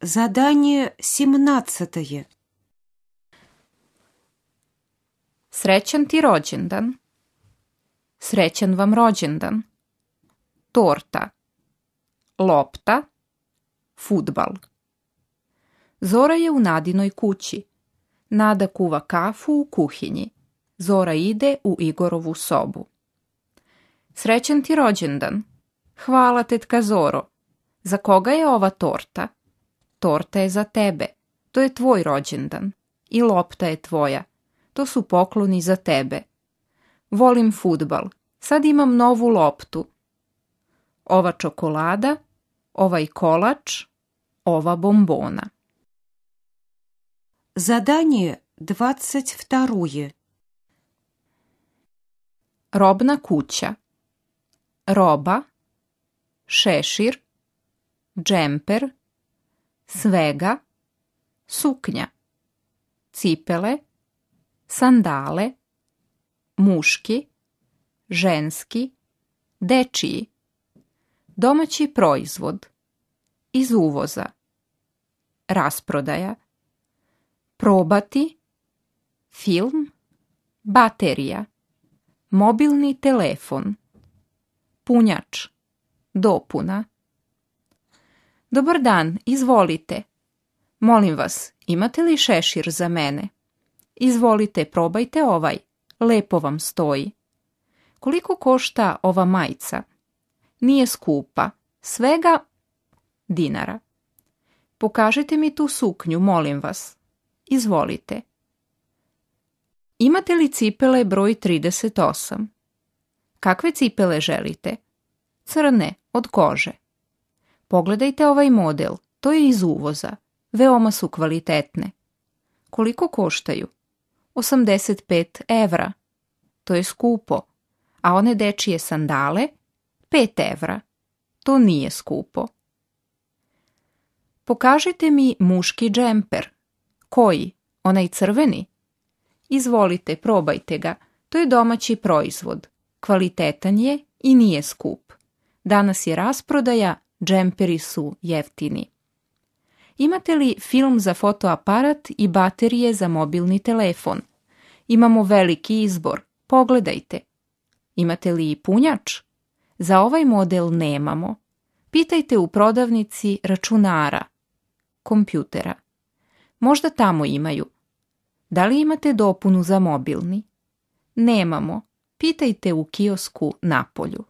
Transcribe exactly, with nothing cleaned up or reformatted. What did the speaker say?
Задание семнадцатое. Srećan ti rođendan. Srećan vam rođendan. Torta. Lopta. Fudbal. Zora je u Nadinoj kući. Nada kuva kafu u kuhinji. Zora ide u Igorovu sobu. Srećan ti rođendan. Hvala, tetka Zoro. Za koga je ova torta? Torta je za tebe. To je tvoj rođendan. I lopta je tvoja. To su pokloni za tebe. Volim fudbal. Sad imam novu loptu. Ova čokolada, ovaj kolač, ova bombona. Задание двадцать второе. Robna kuća. Roba, šešir, džemper, svega, suknja, cipele, sandale, muški, ženski, dečiji, domaći proizvod, iz uvoza, rasprodaja, probati, film, baterija, mobilni telefon, punjač, dopuna. Dobar dan, izvolite. Molim vas, imate li šešir za mene? Izvolite, probajte ovaj. Lepo vam stoji. Koliko košta ova majica? Nije skupa. Svega dinara. Pokažite mi tu suknju, molim vas. Izvolite. Imate li cipele broj trideset osam? Kakve cipele želite? Crne, od kože. Pogledajte ovaj model, to je iz uvoza. Veoma su kvalitetne. Koliko koštaju? osamdeset pet evra. To je skupo. A one dečije sandale? pet evra. To nije skupo. Pokažite mi muški džemper. Koji? Onaj crveni? Izvolite, probajte ga. To je domaći proizvod. Kvalitetan je i nije skup. Danas je rasprodaja, džemperi su jeftini. Imate li film za fotoaparat i baterije za mobilni telefon? Imamo veliki izbor. Pogledajte. Imate li i punjač? Za ovaj model nemamo. Pitajte u prodavnici računara, kompjutera. Možda tamo imaju. Da li imate dopunu za mobilni? Nemamo. Pitajte u kiosku napolju.